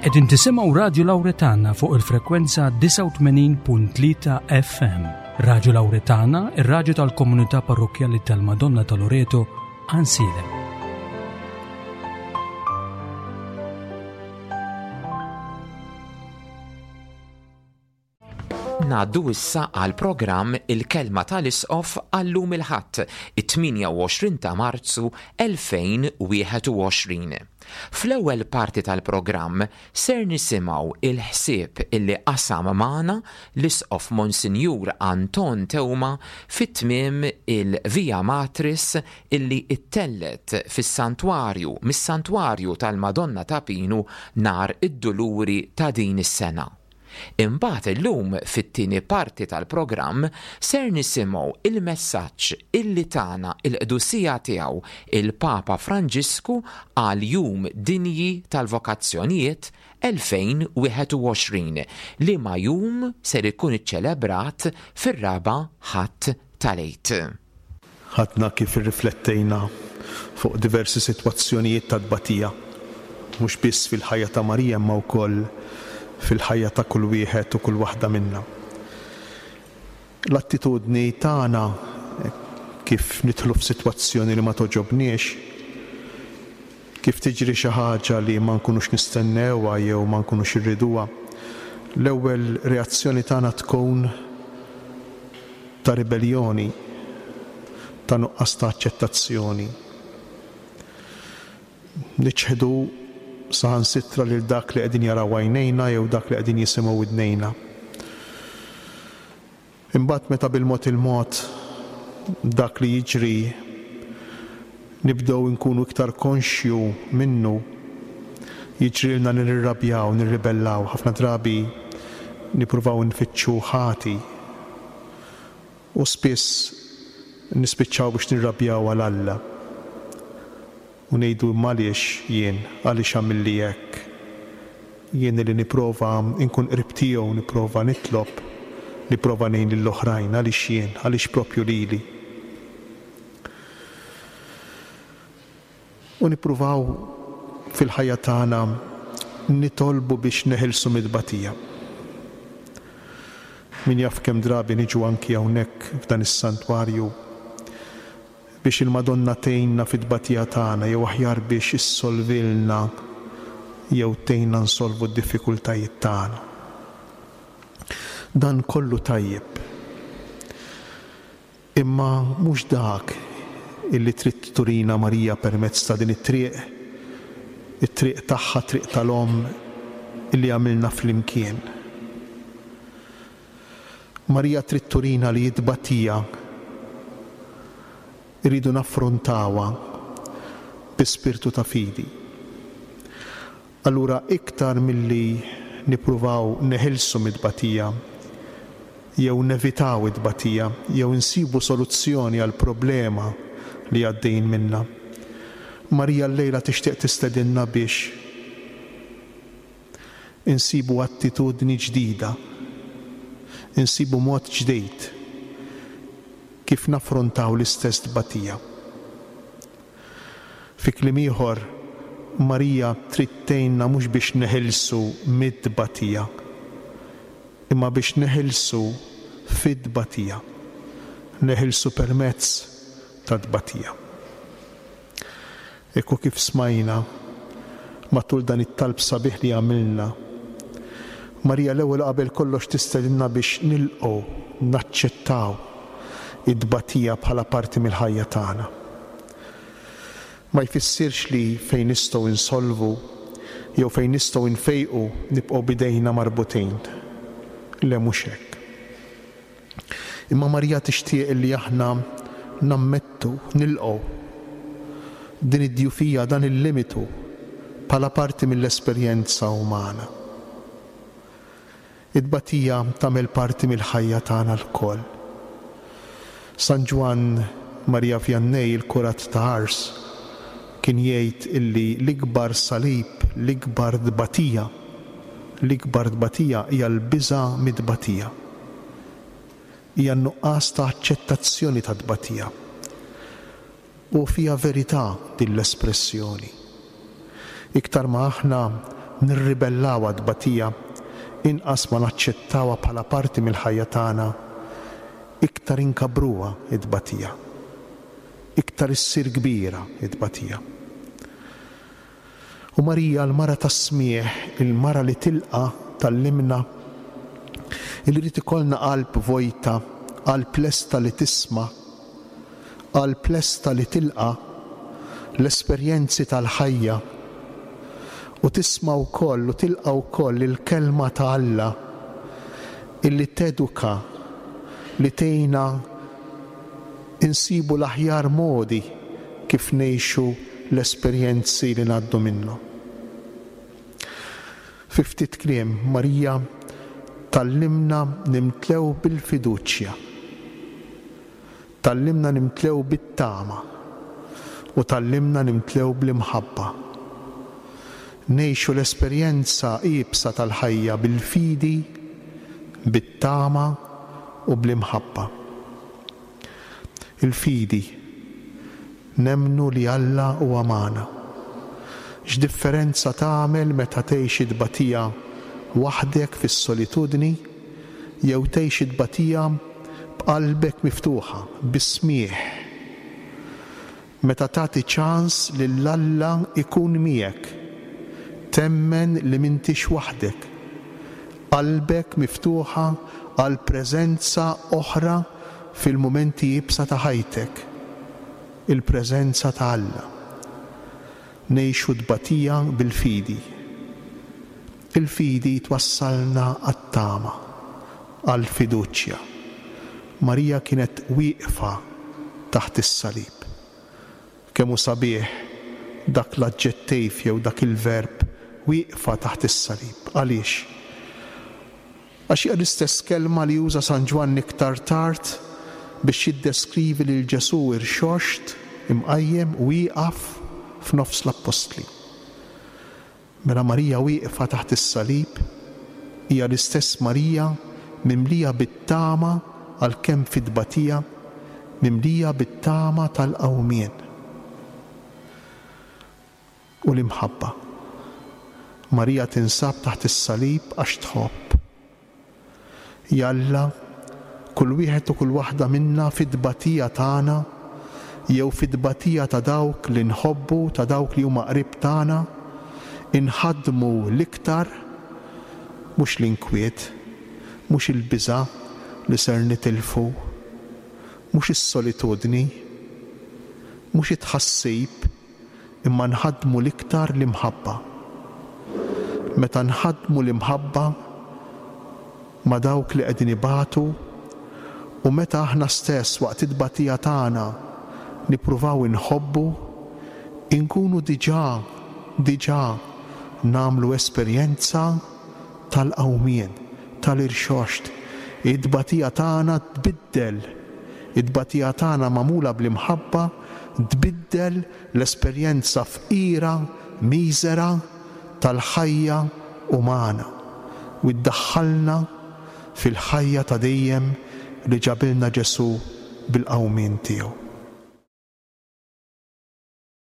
Qegħdin tisimgħu Radju Lawretana fuq il-frekwenza 89.3 FM. Radju Lawretana, ir-radju tal-komunità parrokkjali tal-Madonna ta' Loreto, Ansiedem. Ngħaddu issa għall-programm Il-Kelma tal-Isqof għal-lum il-Ħadd, it-28 ta' Marzu 2021. Fl-ewwel parti tal-programm ser nisimgħu il-ħsieb illi qasam magħna l-Isqof Monsinjur Anton Teuma fi tmiem il-Via Matris illi ttellgħet fis-Santwarju mis-Santwarju tal-Madonna ta' Pinu nhar id-Duluri ta' din is-sena. Imbagħad illum fit-tieni parti tal-programm ser nisimgħu il-messaġġ illi tana l-Qdusija Tiegħu il-Papa Franġisku għal Jum Dinji tal-Vokazzjonijiet 2021, liema jum ser ikun iċċelebrat fir-raba' Ħadd tal-Għid. Ħadna kif irriflettejna fuq diversi sitwazzjonijiet ta' tbatija, mhux biss fil-ħajja ta' Marija imma wkoll fil-ħajja ta' kull wieħed u kull waħda minna. L-attitudni tagħna kif nidħlu f'sitwazzjoni li ma togħġobniex, kif tiġri xi ħaġa li ma nkunux nistennewha jew ma nkunux irriduha, l-ewwel reazzjoni tagħna tkun ta' ribelljoni, ta' nuqqas ta' aċċettazzjoni. Niċħdu saħansitra lil dak li qegħdin jaraw għajnejna jew dak li qegħdin jisimgħu widnejna. Imbagħad meta bil-mod il-mod dak li jiġri nibdew inkunu iktar konxju minnu, jiġrilna li nirrabjaw, nirribellaw, ħafna drabi nippruvaw nfittxu ħati u spiss nispiċċaw biex nirrabjaw għal Alla u ngħidu imma għaliex jien, għaliex għamilli hekk? Jien li nipprova nkun qrib tiegħu, nipprova nitlob, nipprova ngħin lill-oħrajn, għaliex jien, għaliex proprju lili? U nippruvaw fil-ħajja tagħna nitolbu biex neħilsu mit-tbatija. Min jaf kemm drabi niġu anki hawnhekk f'dan is-santwarju biex il-Madonna tgħinna fit-tbatija tagħna jew aħjar biex issolvilna jew tgħinna nsolvu d-diffikultajiet tagħna. Dan kollu tajjeb. Imma mhux dak illi trid turina Marija permezz ta' din it-triq, it-triq tagħha, t-triq tal-omm illi għamilna flimkien. Marija trid turina li t-tbatija rridu naffrontawha bi spirtu ta' fidi. Allura iktar milli nippruvaw neħilsu mit-tbatija, jew nevitaw it-tbatija, jew insibu soluzzjoni għall-problema li għaddejjin minnha, Marija llejla tixtieq tistedinna biex insibu attitudni ġdida, insibu mod ġdid kif naffrontaw l-istess tbatija. Fi kliem ieħor, Marija trid tgħinna mhux biex neħilsu mit-tbatija, imma biex neħilsu fit-tbatija, neħilsu permezz tat-tbatija. Hekk hu kif smajna matul dan it-talb sabiħ li għamilna, Marija l-ewwel u qabel kollox tistedinna biex nilqgħu, naċċettaw it-tbatija bħala parti mill-ħajja tagħna. Ma jfissirx li fejn nistgħu insolvu jew fejn nistgħu nfejqu nibqgħu b'idejna marbutin. Le mhux hekk. Imma Marija tixtieq li aħna nammettu, nilqgħu din id-djufija, dan il-limitu bħala parti mill-esperjenza umana. It-tbatija tagħmel parti mill-ħajja tagħna lkoll. San Ġwann Maria Vianney, il-kurat ta' Ars, kien jgħid illi l-ikbar salib, l-ikbar tbatija, l-ikbar tbatija hija l-biża' mit-tbatija. Hija n-nuqqas ta' aċċettazzjoni tat-tbatija. U fiha verità din l-espressjoni. Iktar ma aħna nirribellaw għat-tbatija, inqas ma naċċettawha bħala parti mill-ħajja tagħna, iktar inkabbruha t-tbatija. Iktar issir kbira t-tbatija. U Marija, l-mara tas-smigħ, il-mara li tilqa' tgħallimna li jrid ikollna qalb vojta, qalb lesta li tisma', qalb lesta li tilqa' l-esperjenzi tal-ħajja u tisma' wkoll u tilqa' wkoll il-Kelma ta' Alla illi teduka, li tgħinna insibu l-aħjar modi kif ngħixu l-esperjenzi li ngħaddu minnhom. Fi ftit kliem, Marija tgħallimna nimtlew bil-fiduċja, tgħallimna nimtlew bit-tama u tgħallimna nimtlew bl-imħabba. Ngħixu l-esperjenza iebsa tal-ħajja bil-fidi, bit-tama u bl-imħabba. Il-fidi. Nemmnu li Alla huwa magħna. X'differenza tagħmel meta tgħix it-tbatija waħdek fis-solitudni jew tgħix it-tbatija b'qalbek miftuħa, bis-smigħ. Meta tagħti ċans lil Alla jkun miegħek, temmen li m'intix waħdek. Qalbek miftuħa għal preżenza oħra fil-mumenti iebsa ta' ħajtek, il-preżenza ta' Alla. Ngħixu t-tbatija bil-fidi. Il-fidi twassalna għat-tama, għall-fiduċja. Marija kienet wieqfa taħt is-salib. Kemm hu sabiħ dak l-aġġettiv jew dak il-verb wieqfa taħt is-salib. Għaliex? Għax hija l-istess kelma li uża San Ġwann iktar tard biex jiddeskrivi lil Ġesù irxoxt, imqajjem, wieqaf f'nofs l-appostli. Mela Marija wieqfa taħt is-salib hija l-istess Marija mimlija bit-tama għalkemm fit-tbatija, mimlija bit-tama tal-qawmien u l-imħabba. Marija tinsab taħt is-salib għax tħobb. Jalla, kull wieħed u kull waħda minna fit-tbatija tagħna jew fit-tbatija ta' dawk li nħobbu, ta' dawk li huma qrib tagħna, inħaddmu l-iktar mhux l-inkwiet, mhux il-biża' li ser nitilfu, mhux is-solitudni, mhux it-tħassib, imma nħaddmu l-iktar l-imħabba. Meta nħaddmu l-imħabba ma' dawk li qegħdin ibatu u meta aħna stess waqt it-tbatija tagħna nippruvaw inħobbu, inkunu diġà, diġà nagħmlu esperjenza tal-qawmien, tal-irxoxt. It-tbatija tagħna tbiddel, it-tbatija tagħna magħmula bl-imħabba tbiddel l-esperjenza fqira, miżera tal-ħajja umana u ddaħħalna fil-ħajja ta' dejjem li ġabilna Ġesù bil-qawmien tiegħu.